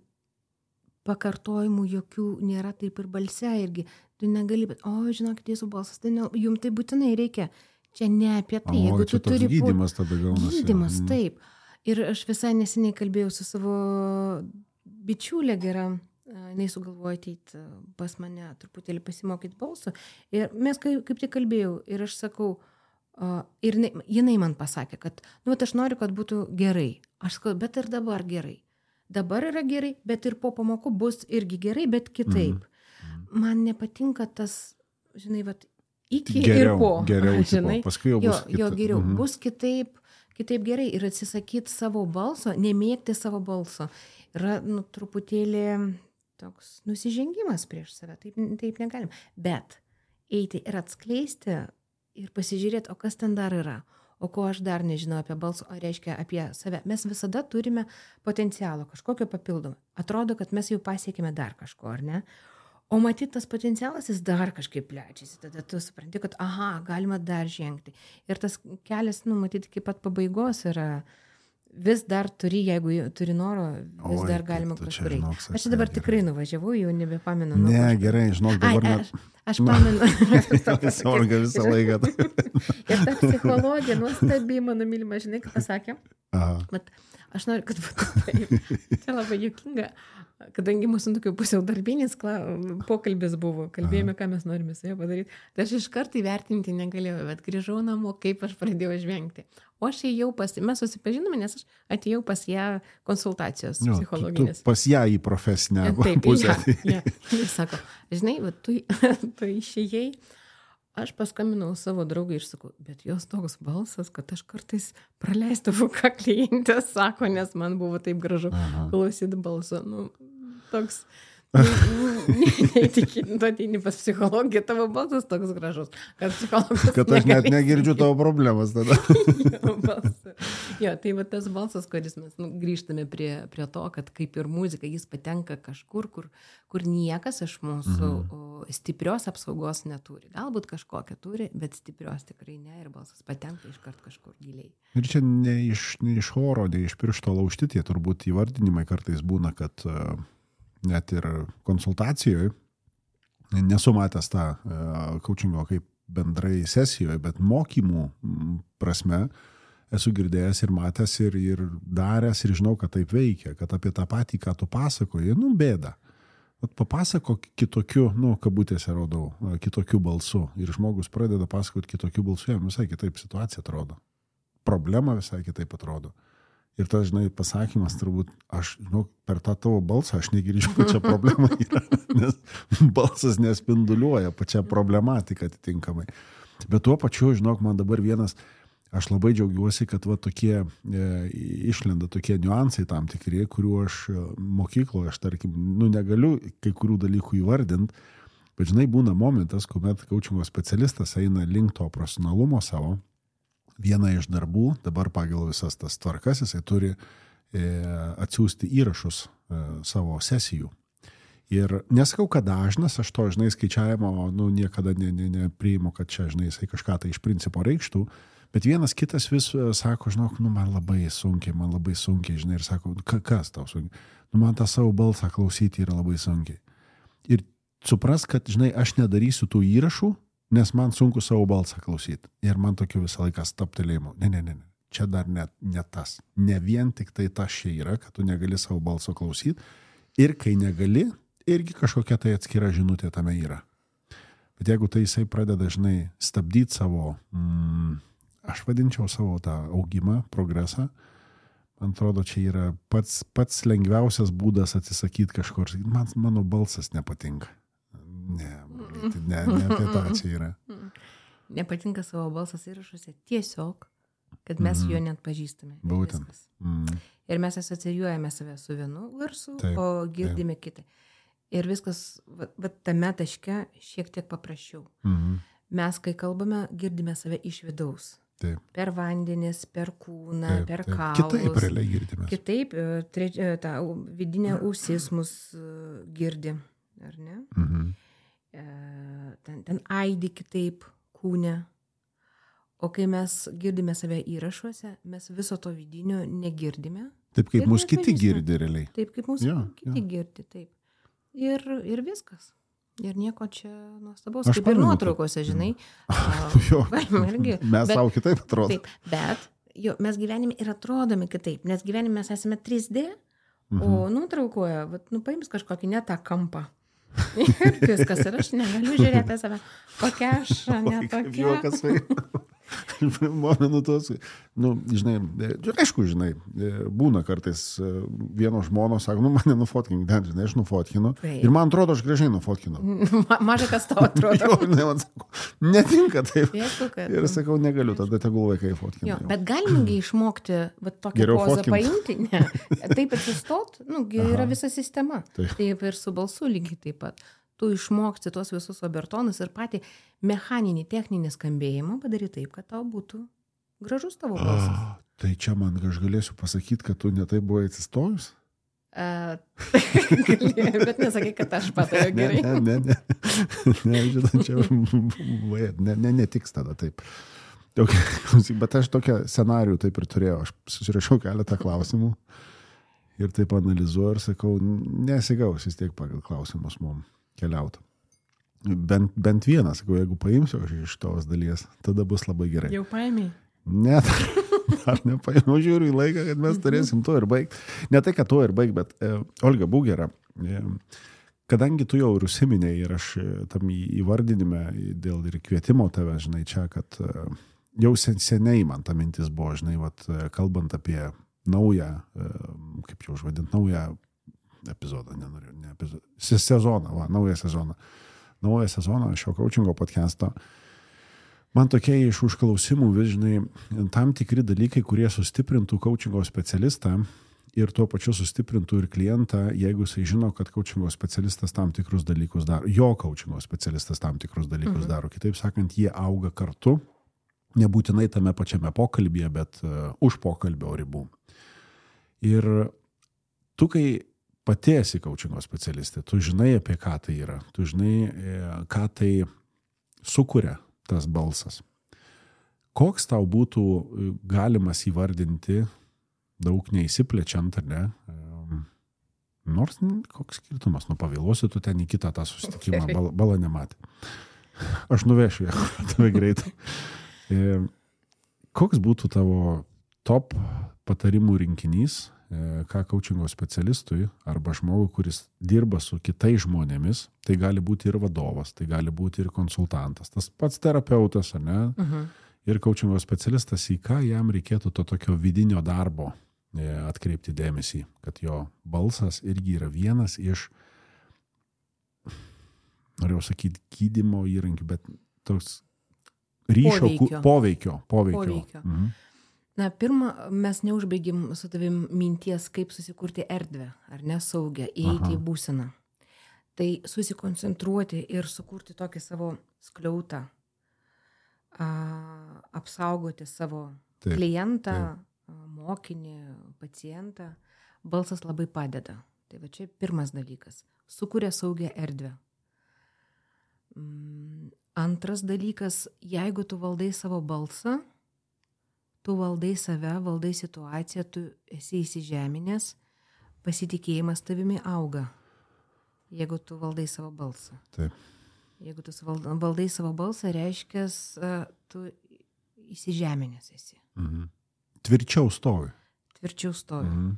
pakartojimų jokių nėra, taip ir balse irgi. Tu negali, bet, žinokit, jūsų balsas, tai jums tai būtinai reikia. Čia ne apie tai. Jeigu tu turi gydymas tada gaunasi. Gydymas, taip. Ir aš visai neseniai kalbėjau su savo bičiulė gera, jinai sugalvojo ateiti pas mane truputėlį pasimokyti balso. Ir mes kaip tik kalbėjau ir aš sakau, ir jinai man pasakė, kad, aš noriu, kad būtų gerai. Aš sakau, bet ir dabar gerai. Dabar yra gerai, bet ir po pamokų bus irgi gerai, bet kitaip. Man nepatinka tas, žinai, iki geriau, ir po. Geriau, žinai, paskui jau bus jo geriau. Bus kitaip gerai ir atsisakyti savo balso, nemėgti savo balso. Yra truputėlį toks nusižengimas prieš save, taip negalim. Bet eiti ir atskleisti ir pasižiūrėti, o kas ten dar yra, o ko aš dar nežinau apie balsą, o reiškia apie save. Mes visada turime potencialo, kažkokio papildomą. Atrodo, kad mes jau pasiekime dar kažko, ar ne? O matyti tas potencialas, jis dar kažkaip plečiasi. Tada tu supranti, kad galima dar žengti. Ir tas kelias, matyti, iki pat pabaigos yra vis dar turi, jeigu turi noro, vis dar galima kažkur eiti. Aš dabar tikrai nuvažiavau, jau nebepamenu. Ne, gerai, žinok, dabar net... Aš pamenu. Sorga visą laiką. Ir ta psichologija nuostabiai, mano mylima, žinai, ką pasakė. Bet aš noriu, kad būtų taip. Čia labai juokinga, kadangi mūsų tokių pusiau darbinis pokalbis buvo, kalbėjome, ką mes norime su juo padaryti. Tai aš iš karto įvertinti negalėjau, bet grįžau namo, kaip aš pradėjau žvengti. O aš ėjau mes susipažinome, nes aš atėjau pas ją konsultacijos psichologinės. Tu pas ją į profesinę pusę. Taip, jis sako, žinai, tu išėjai, aš paskambinau savo draugai ir sakau, bet jos toks balsas, kad aš kartais praleisdavau, ką klientė sako, nes man buvo taip gražu klausyti balso. Toks neįtikėtina, tu ateini pas psichologiją, tavo balsas toks gražus, kad psichologas kad aš net negirdžiu tavo problemas tada. Jo, tai va tas balsas, kuris mes grįžtame prie to, kad kaip ir muzika, jis patenka kažkur, kur niekas iš mūsų stiprios apsaugos neturi. Galbūt kažkokią turi, bet stiprios tikrai ne, ir balsas patenka iškart kažkur giliai. Ir čia ne iš oro, ne iš piršto laužti, tie turbūt įvardinimai kartais būna, kad net ir konsultacijoje, nesu matęs tą coachingo kaip bendrai sesijoje, bet mokymų prasme esu girdėjęs ir matęs ir daręs ir žinau, kad taip veikia, kad apie tą patį, ką tu pasakoji, bėda. Papasakok kitokiu, kabutėse rodau, kitokiu balsu. Ir žmogus pradeda pasakoti kitokiu balsu, jam visai kitaip situacija atrodo. Problema visai kitaip atrodo. Ir tas, žinai, pasakymas turbūt, aš, per tą tavo balsą aš negirdžiu, kad čia problema yra, nes balsas nespinduliuoja pačią problematiką atitinkamai. Bet tuo pačiu, žinok, man dabar vienas, aš labai džiaugiuosi, kad tokie išlenda tokie niuansai tam tikri, kuriuo aš mokykloje, aš tarkim, negaliu kai kurių dalykų įvardinti, bet, žinai, būna momentas, kuomet coachingo specialistas eina link to profesionalumo savo. Viena iš darbų, dabar pagal visas tas tvarkas, jisai turi atsiųsti įrašus savo sesijų. Ir nesakau, kad dažnas, aš to, žinai, skaičiavimo, niekada nepriimu, kad čia, žinai, jisai kažką tai iš principo reikštų, bet vienas kitas vis sako, žinok, man labai sunkiai, žinai, ir sako, kas tau sunkiai? Man tą savo balsą klausyti yra labai sunkiai. Ir supras, kad, žinai, aš nedarysiu tų įrašų, nes man sunku savo balsą klausyti. Ir man tokiu visą laiką staptelėjimu. Ne. Čia dar ne tas. Ne vien tik tai tas čia yra, kad tu negali savo balso klausyti. Ir kai negali, irgi kažkokia tai atskira žinutė tame yra. Bet jeigu tai jisai pradeda, žinai, stabdyti savo, aš vadinčiau savo tą augimą, progresą, man atrodo, čia yra pats lengviausias būdas atsisakyti kažkur. Mano balsas nepatinka. Ne apie tą čia yra. Nepatinka savo balsas įrašuose tiesiog, kad mes jo net pažįstame. Būtent. Ir mes asocijuojame save su vienu garsu, o girdime kitą. Ir viskas tame taške šiek tiek paprasčiau. Mes, kai kalbame, girdime save iš vidaus. Taip. Per vandenis, per kūną, per kaulus. Kitaip realiai girdime. Kitaip, ta vidinė ausis mus girdi, ar ne? Ten aidi kitaip kūne. O kai mes girdime save įrašuose, mes viso to vidinio negirdime. Taip, kaip mūsų kiti girdi realiai. Taip, kaip mūsų kiti girdi, taip. Ir viskas. Ir nieko čia nuostabaus. Kaip ir nuotraukose, žinai. Mes savo kitaip atrodo. Taip, bet mes gyvenime ir atrodome kitaip, nes gyvenime mes esame 3D, o nuotraukoje, paims kažkokį ne tą kampą. Ir viskas, ir aš negaliu žiūrėti save, kokia aš, ne tokia. Momenu tos, žinai, aišku, žinai, būna kartais vieno žmonos, sako, mane nufotkink, žinai, aš nufotkinu. Ir man atrodo, aš gražiai nufotkinu. Mažai kas tau atrodo. Jo, man sako, netinka taip. Ir sakau, negaliu, tada tegul vaikai fotkina. Bet galimgi išmokti tokią pozą paimti, ne. Taip atsistot, yra visa sistema. Taip ir su balsu lygiai taip pat. Tu išmoksti tuos visus obertonus ir patį mechaninį, techninį skambėjimą padaryti taip, kad tau būtų gražus tavo balsas. Tai čia man aš galėsiu pasakyti, kad tu ne taip buvai atsistojus? Bet nesakai, kad aš patariu gerai. Ne, žinot, čia netiks tada taip. Bet aš tokią scenarijų taip ir turėjau. Aš susirašiau keletą klausimų ir taip analizuoju ir sakau, nesigaus vis tiek pagal klausimus mums keliauti. Bent vieną, sakau, jeigu paimsiu aš iš tos dalies, tada bus labai gerai. Jau paėmėjai? Ne, dar nepaėmiau, žiūriu į laiką, kad mes turėsim to ir baigti. Ne tai, kad to ir baigti, bet Olga, būk gera. Kadangi tu jau ir užsiminėjai ir aš tam įvardinime dėl ir kvietimo tave, žinai, čia, kad jau seniai man ta mintis buvo, žinai, kalbant apie naują, kaip jau užvadint, naują epizodą, sezoną, naują sezoną. Naują sezoną šio coachingo podcast'o. Man tokie iš užklausimų vis, žinai, tam tikri dalykai, kurie sustiprintų coachingo specialistą ir tuo pačiu sustiprintų ir klientą, jeigu jisai žino, kad coachingo specialistas tam tikrus dalykus daro, jo coachingo specialistas tam tikrus dalykus daro. Kitaip sakant, jie auga kartu, nebūtinai tame pačiame pokalbyje, bet už pokalbio ribų. Ir tu, kai pati esi coachingo specialistė, tu žinai, apie ką tai yra, tu žinai, ką tai sukuria tas balsas. Koks tau būtų galimas įvardinti, daug neįsiplečiant, ar ne? Nors koks skirtumas, pavėluosi tu ten į kitą tą susitikimą, bala nematė. Aš nuvešiu ją, tave greitai. Koks būtų tavo top patarimų rinkinys, ką coachingo specialistui arba žmogui, kuris dirba su kitais žmonėmis, tai gali būti ir vadovas, tai gali būti ir konsultantas, tas pats terapeutas, ar ne? Ir coachingo specialistas, į ką jam reikėtų to tokio vidinio darbo atkreipti dėmesį, kad jo balsas irgi yra vienas iš, norėjau sakyti, gydymo įrankių, bet toks ryšio poveikio. Na, pirma, mes neužbaigim su tavim minties, kaip susikurti erdvę, ar ne, saugę, įeiti į būseną. Tai susikoncentruoti ir sukurti tokį savo skliautą, apsaugoti savo klientą, mokinį, pacientą, balsas labai padeda. Tai va čia pirmas dalykas. Sukuria saugią erdvę. Antras dalykas, jeigu tu valdai savo balsą, tu valdai save, valdai situaciją, tu esi įsižeminęs, pasitikėjimas tavimi auga, jeigu tu valdai savo balsą. Taip. Jeigu tu valdai savo balsą, reiškia, tu įsižeminęs esi. Mhm. Tvirčiau stovi. Tvirčiau stovi. Mhm.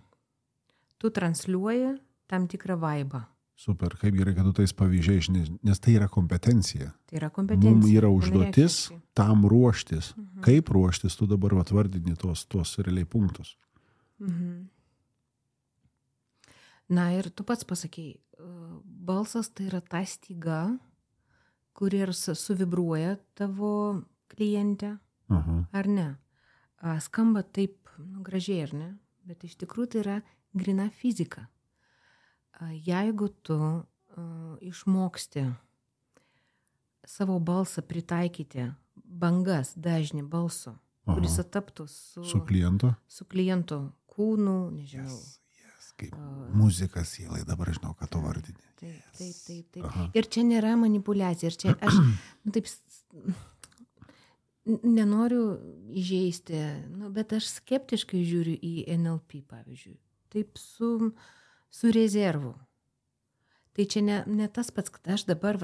Tu transliuoji tam tikrą vaibą. Super, kaip gerai, kad tu tais pavyzdžiais, nes tai yra kompetencija. Tai yra kompetencija. Mums yra užduotis tam ruoštis. Kaip ruoštis, tu dabar atvardini tuos realiai punktus. Na ir tu pats pasakei, balsas tai yra ta styga, kuri ir suvibruoja tavo klientę, ar ne? Skamba taip gražiai, ar ne? Bet iš tikrųjų tai yra grina fizika. Jeigu tu išmoksti savo balsą pritaikyti bangas, dažnį balso, kuris ataptų su kliento kūnu, nežinau. Kaip muzikas sielai, dabar žinau, ką tu vardini. Taip. Ir čia nėra manipulacija. Ir čia aš taip nenoriu įžeisti, bet aš skeptiškai žiūriu į NLP, pavyzdžiui. Taip su rezervu. Tai čia ne tas pats, kad aš dabar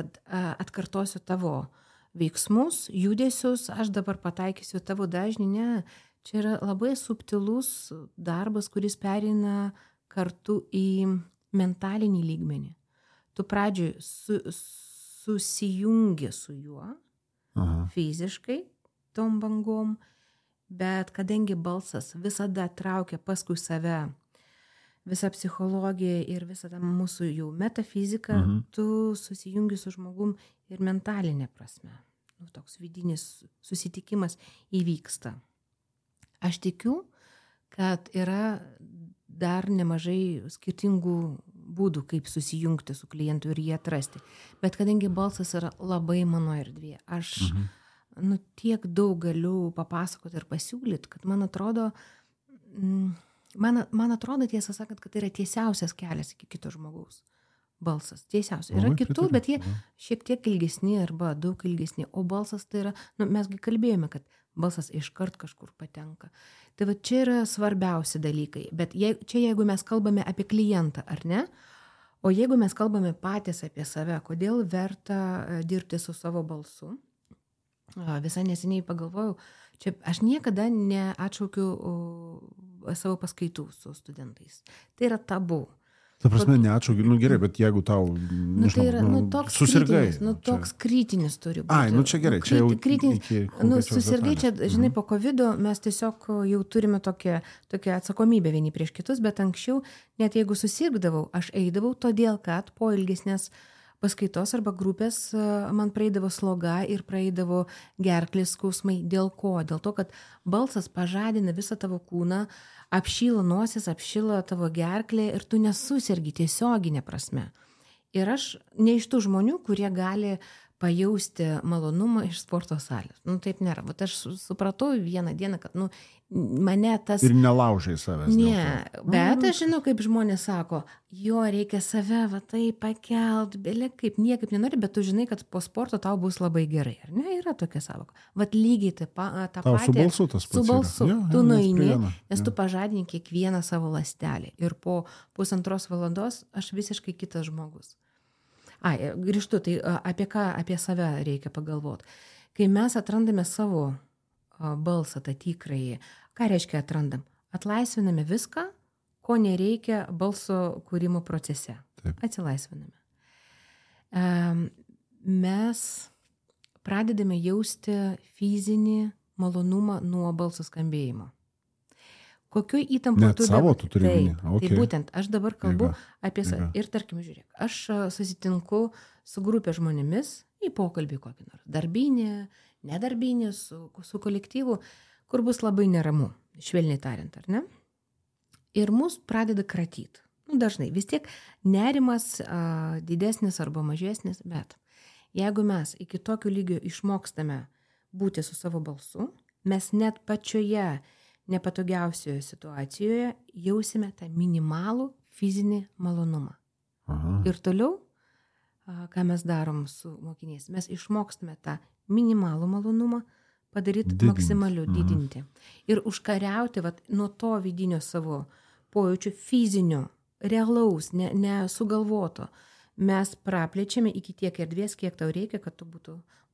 atkartosiu tavo veiksmus, judesius, aš dabar pataikysiu tavo dažnį. Ne, čia yra labai subtilus darbas, kuris pereina kartu į mentalinį lygmenį. Tu pradžioj susijungi su juo fiziškai, tom bangom, bet kadangi balsas visada traukia paskui save visą psichologiją ir visą tą mūsų jau metafiziką, tu susijungi su žmogum ir mentalinė prasme. Toks vidinis susitikimas įvyksta. Aš tikiu, kad yra dar nemažai skirtingų būdų, kaip susijungti su klientu ir jį atrasti. Bet kadangi balsas yra labai mano erdvė, aš tiek daug galiu papasakoti ir pasiūlyti, kad man atrodo, tiesą sakant, kad tai yra tiesiausias kelias iki kito žmogaus. Balsas, tiesiausias. Yra kitų, bet jie šiek tiek ilgesni arba daug ilgesni. O balsas tai yra, mesgi kalbėjome, kad balsas iškart kažkur patenka. Tai va čia yra svarbiausi dalykai. Bet jeigu mes kalbame apie klientą, ar ne? O jeigu mes kalbame patys apie save, kodėl verta dirbti su savo balsu? Visai neseniai pagalvojau, čia aš niekada neatšaukiu savo paskaitų su studentais. Tai yra tabu. Ta prasme, neatšaukiu, gerai, bet jeigu tau, tai yra, susirgai. Toks kritinis turi būti. Ai, čia gerai, čia jau susirgai, čia, žinai, po COVID mes tiesiog jau turime tokią atsakomybę vieni prieš kitus, bet anksčiau, net jeigu susirgdavau, aš eidavau todėl, kad po ilgesnės paskaitos arba grupės man praeidavo sloga ir praeidavo gerklės skausmai. Dėl ko? Dėl to, kad balsas pažadina visą tavo kūną, apšyla nosis, apšyla tavo gerklė ir tu nesusirgi tiesioginė prasme. Ir aš ne iš tų žmonių, kurie gali pajausti malonumą iš sporto salės. Taip nėra. Bet aš supratau vieną dieną, kad mane tas... Ir nelaužai savęs. Ne, bet aš žinau, kaip žmonės sako, jo reikia save tai pakelt, kaip niekaip nenori, bet tu žinai, kad po sporto tau bus labai gerai. Ar ne? Yra tokia savoka. Lygiai tą patį. Tau su balsu tas pats. Su balsu. Tu nueini, nes tu pažadini kiekvieną savo ląstelę. Ir po 1,5 valandos aš visiškai kitas žmogus. Grįžtu, tai apie save reikia pagalvoti. Kai mes atrandame savo balsą, tą tikrąjį, ką reiškia atrandam? Atlaisviname viską, ko nereikia balso kūrimo procese. Taip. Atsilaisviname. Mes pradedame jausti fizinį malonumą nuo balso skambėjimo. Kokiu įtampu net savo tu turi minį. Tai būtent, aš dabar kalbu apie save. Ir tarkim, žiūrėk, aš susitinku su grupė žmonėmis į pokalbį kokį nors. Darbinį, nedarbinį, su kolektyvu, kur bus labai neramu, švelniai tariant, ar ne? Ir mus pradeda kratyti. Dažnai, vis tiek nerimas didesnis arba mažesnis, bet jeigu mes iki tokio lygio išmokstame būti su savo balsu, mes net pačioje nepatogiausioje situacijoje jausime tą minimalų fizinį malonumą. Aha. Ir toliau, ką mes darom su mokiniais, mes išmokstame tą minimalų malonumą padaryti maksimaliu, didinti. Ir užkariauti nuo to vidinio savo pojūčių fizinio, realaus, nesugalvoto. Mes praplečiame iki tiek erdvės, kiek tau reikia, kad tu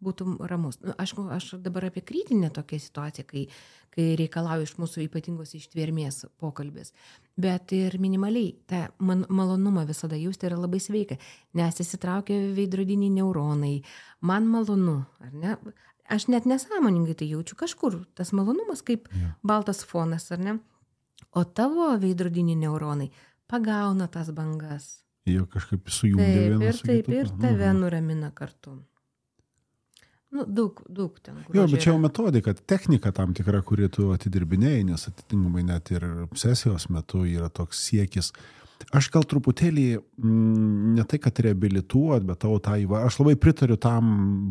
būtum ramus. Aš dabar apie kritinę tokią situaciją, kai reikalauja iš mūsų ypatingos ištvermės pokalbis. Bet ir minimaliai tą malonumą visada jausti yra labai sveika, nes įsitraukia veidrodiniai neuronai. Man malonu, ar ne? Aš net nesąmoningai tai jaučiu kažkur. Tas malonumas kaip baltas fonas, ar ne? O tavo veidrodiniai neuronai pagauna tas bangas. Jie kažkaip sujungia vieną su kitu. Taip, ir tave nuramina kartu. Daug ten. Jo, bet čia jau metodika, technika tam tikra, kuri tu atidirbinėjai, nes atitinkamai net ir sesijos metu yra toks siekis. Aš gal truputėlį, ne tai, kad reabilituot, bet aš labai pritariu tam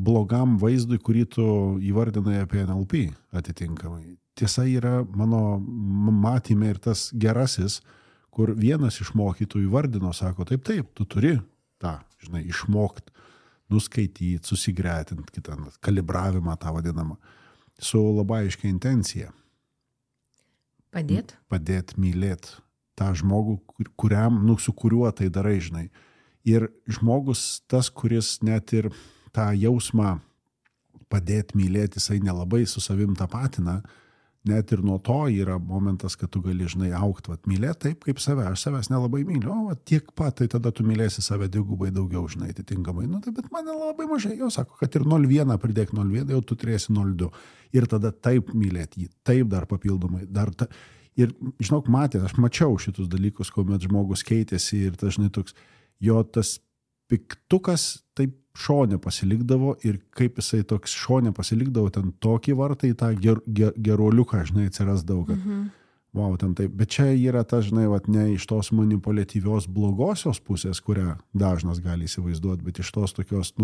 blogam vaizdui, kurį tu įvardinai apie NLP atitinkamai. Tiesa yra mano matyme ir tas gerasis, kur vienas iš mokytojų įvardino, sako, taip, tu turi tą, išmokti, nuskaityti, susigretinti kitą kalibravimą tą vadinamą, su labai aiškia intencija. Padėt mylėti tą žmogų, su kuriuo tai darai, Ir žmogus tas, kuris net ir tą jausmą padėt mylėti, jisai nelabai su savim tapatina, net ir nuo to yra momentas, kad tu gali, augti, mylėti taip, kaip save. Aš savęs nelabai myliu, tiek pat, tai tada tu mylėsi save dvigubai daugiau, atitinkamai. Bet man labai mažai, jau sako, kad ir 0,1 pridėk 0,1, jau tu turėsi 0,2. Ir tada taip mylėti jį, taip dar papildomai. Ir, aš mačiau šitus dalykus, kuomet žmogus keitėsi ir dažnai toks, jo tas piktukas taip šone pasilikdavo ir kaip jisai toks šone pasilikdavo, ten tokį vartą į tą geruoliuką, atsirasdavo, kad wow, ten taip. Bet čia yra ta, ne iš tos manipuliatyvios blogosios pusės, kurią dažnas gali įsivaizduoti, bet iš tos tokios,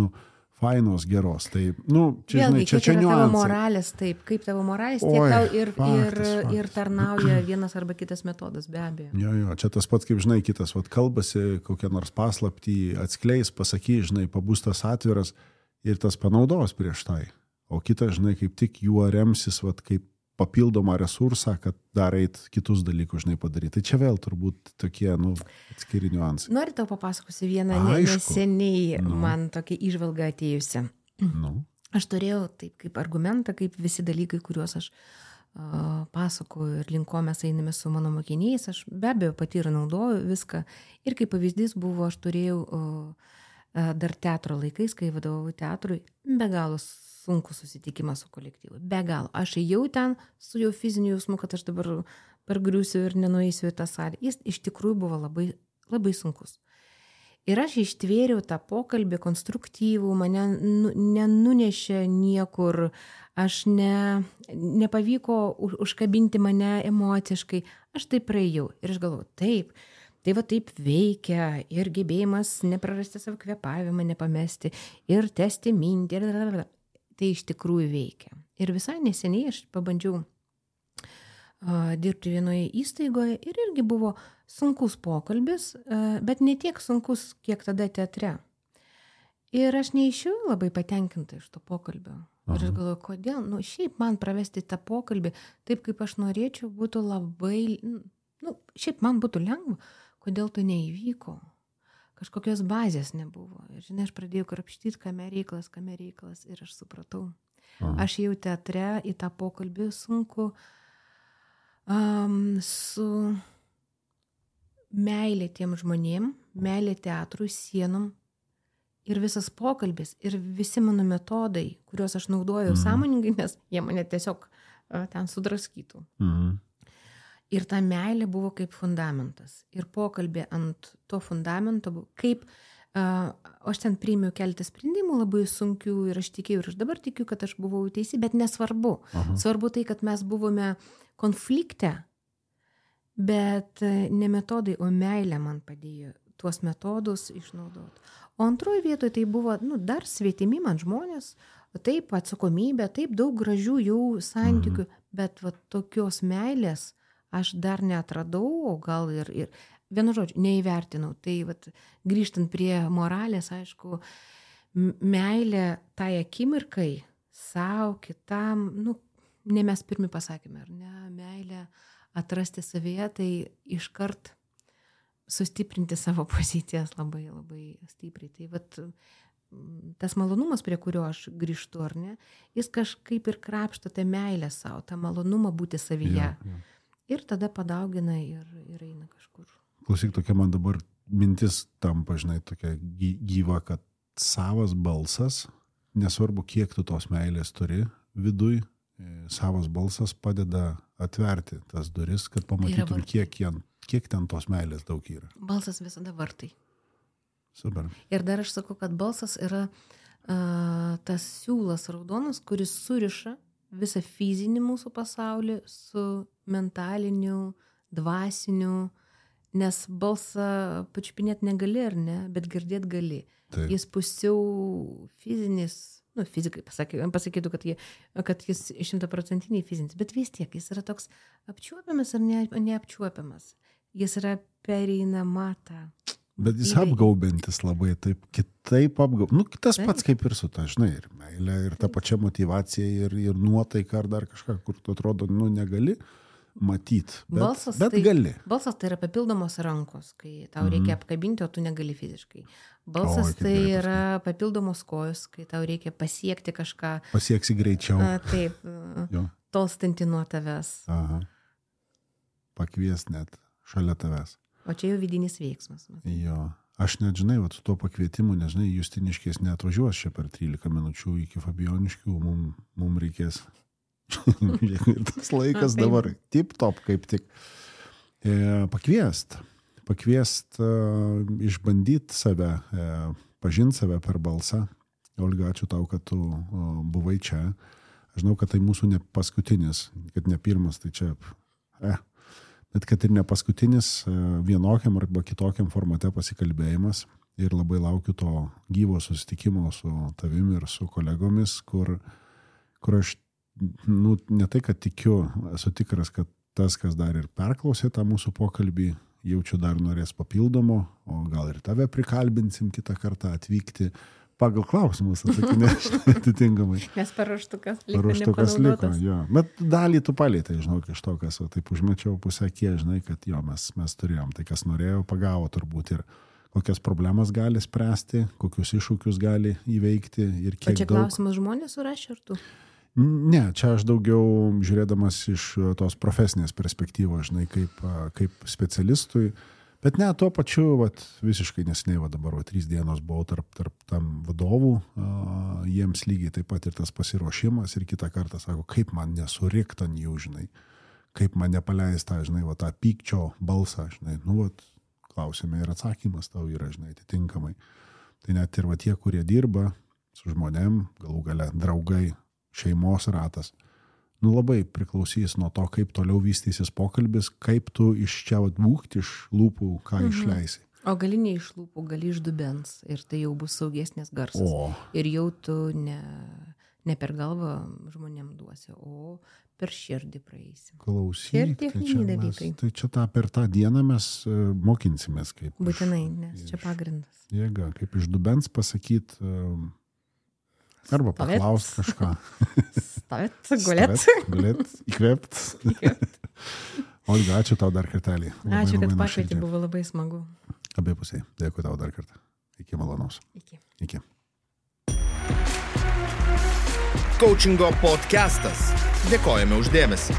fainos, geros. Tai, čia, vėlgi, čia niuansai. Tavo moralės, taip, kaip tavo moralės, tiek tau ir tarnauja vienas arba kitas metodas, be abejo. Jo, čia tas pats, kaip, kitas, kalbasi, kokią nors paslaptį atskleis, pasakys, pabus tas atviras ir tas panaudos prieš tai. O kitas, kaip tik juo remsis, kaip papildomą resursą, kad dar eit kitus dalykus, padaryti. Tai čia vėl turbūt tokie, atskiri niuansai. Noriu tau papasakosiu vieną neseniai man tokia įžvalga atėjusi. Aš turėjau taip kaip argumentą, kaip visi dalykai, kuriuos aš pasakoju ir link ko mes einame su mano mokiniais. Aš be abejo pati ir naudoju viską. Ir kaip pavyzdys buvo, aš turėjau dar teatro laikais, kai vadovau teatrui, be galo sunku susitikimą su kolektyvu. Be galo. Aš ėjau ten su jau fiziniu jausmu, kad aš dabar pargriūsiu ir nenueisiu į tą salę. Jis iš tikrųjų buvo labai, labai sunkus. Ir aš ištvėriau tą pokalbį konstruktyvų, mane nenunešė niekur, aš nepavyko užkabinti mane emociškai. Aš taip praėjau. Ir aš galvoju, taip, tai taip veikia ir gebėjimas neprarasti savo kvėpavimą, nepamesti ir tęsti mintį. Tai iš tikrųjų veikia. Ir visai neseniai aš pabandžiau dirbti vienoje įstaigoje ir irgi buvo sunkus pokalbis, bet ne tiek sunkus, kiek tada teatre. Ir aš neišėjau labai patenkinta iš to pokalbio. Ir aš galvoju, kodėl? Šiaip man pravesti tą pokalbį taip, kaip aš norėčiau, būtų labai, šiaip man būtų lengva, kodėl tai neįvyko. Kažkokios bazės nebuvo. Ir aš pradėjau krapštyti, kame reikalas ir aš supratau. Aš jau teatre į tą pokalbį sunku su meilė tiem žmonėm, meilė teatrui, sienom ir visas pokalbis ir visi mano metodai, kuriuos aš naudojau sąmoningai, nes jie mane tiesiog ten sudraskytų. Ir ta meilė buvo kaip fundamentas. Ir pokalbė ant to fundamento, kaip aš ten priėmiau keletą sprendimų labai sunkių ir aš tikėjau, ir aš dabar tikiu, kad aš buvau teisi, bet nesvarbu. Svarbu tai, kad mes buvome konflikte, bet ne metodai, o meilė man padėjo tuos metodus išnaudoti. O antroji vietoje tai buvo dar svetimi man žmonės, taip atsakomybė, taip daug gražių jau santykių, bet tokios meilės aš dar neatradau, o gal ir vienu žodžiu, neįvertinau. Tai vat, grįžtant prie moralės, aišku, meilė tai akimirkai, savo, kitam, ne mes pirmi pasakėme, ar ne, meilė atrasti savyje, tai iškart sustiprinti savo pozicijas labai, labai stipriai. Tai vat, tas malonumas, prie kurio aš grįžtu, ar ne, jis kažkaip ir krapšto tą meilę savo, tą malonumą būti savyje. Ja. Ir tada padaugina ir eina kažkur. Klausyk, tokia man dabar mintis tampa, žinai, tokia gyva, kad savas balsas, nesvarbu, kiek tu tos meilės turi viduj, savas balsas padeda atverti tas duris, kad pamatytum, kiek ten tos meilės daug yra. Balsas visada vartai. Super. Ir dar aš sakau, kad balsas yra tas siūlas raudonas, kuris suriša visą fizinį mūsų pasaulį su mentaliniu, dvasiniu, nes balsą pačiupinėti negali, ar ne, bet girdėti gali. Taip. Jis pusiau fizinis, fizikai pasakytų, kad jis 100% fizinis, bet vis tiek jis yra toks apčiuopiamas ar neapčiuopiamas. Jis yra pereinama ta. Bet jis apgaubintis labai taip, kitaip tas pats kaip ir su ta, žinai, ir meilė, ir ta pačia motyvacija, ir nuotaika, ar dar kažką, kur tu atrodo, negali matyti, bet gali. Balsas tai yra papildomos rankos, kai tau reikia apkabinti, o tu negali fiziškai. Balsas tai yra papildomos kojos, kai tau reikia pasiekti kažką. Pasieksi greičiau. Taip, tolstanti nuo tavęs. Aha. Pakvies net šalia tavęs. O čia jau vidinis veiksmas. Jo. Aš net, žinai, su tuo pakvietimu, nežinai, Justiniškės neatvažiuos čia per 13 minučių iki Fabioniškių, mum reikės. Ir tas laikas dabar tip top kaip tik. Pakviest, išbandyti save, pažinti save per balsą. Olga, ačiū tau, kad tu buvai čia. Aš žinau, kad tai mūsų ne paskutinis, kad ne pirmas, tai čia... Bet kad ir ne paskutinis vienokiam arba kitokiam formate pasikalbėjimas ir labai laukiu to gyvo susitikimo su tavimi ir su kolegomis, kur aš, ne tai, kad tikiu, esu tikras, kad tas, kas dar ir perklausė tą mūsų pokalbį, jaučiu dar norės papildomo, o gal ir tave prikalbinsim kitą kartą atvykti. Pagal klausimus atsakinėš atitinkamai. Nes paruoštukas liko. Jo. Bet dalį tu palėtai, žinau, iš to, kas taip užmečiau pusę kie, žinai, kad jo, mes turėjom. Tai, kas norėjo, pagavo turbūt ir kokias problemas gali spręsti, kokius iššūkius gali įveikti ir kiek daug. O čia klausimas žmonės surašė ar tu? Ne, čia aš daugiau žiūrėdamas iš tos profesinės perspektyvos, žinai, kaip specialistui. Bet ne, tuo pačiu, visiškai neseniai, dabar 3 dienos buvau tarp tam vadovų, jiems lygiai taip pat ir tas pasiruošimas ir kitą kartą sako, kaip man nesurikt ant jų, žinai, kaip man nepaleist tą, žinai, tą pykčio balsą, žinai, klausime ir atsakymas tau yra, žinai, atitinkamai. Tai net ir tie, kurie dirba su žmonėm, galų gale draugai, šeimos ratas, labai priklausys nuo to, kaip toliau vystysis pokalbis, kaip tu iš čia būkti iš lūpų, ką išleisi. O gali ne iš lūpų, gali iš dubens ir tai jau bus saugesnės garsas. Ir jau tu ne per galvą žmonėm duosi, o per širdį praeisi. Klausyk, tai čia per tą dieną mes mokinsimės. Būtinai, nes čia pagrindas. Jėga, kaip iš dubens pasakyti... Arba paklaust kažką. Stovėt, gulėt, įkvėpt. Olga, ačiū tau dar kartelį. Ačiū, kad pakvietė, buvo labai smagu. Abipusiai. Dėkui tau dar kartą. Iki malonaus. Iki. Coachingo podcastas. Dėkojame už dėmesį.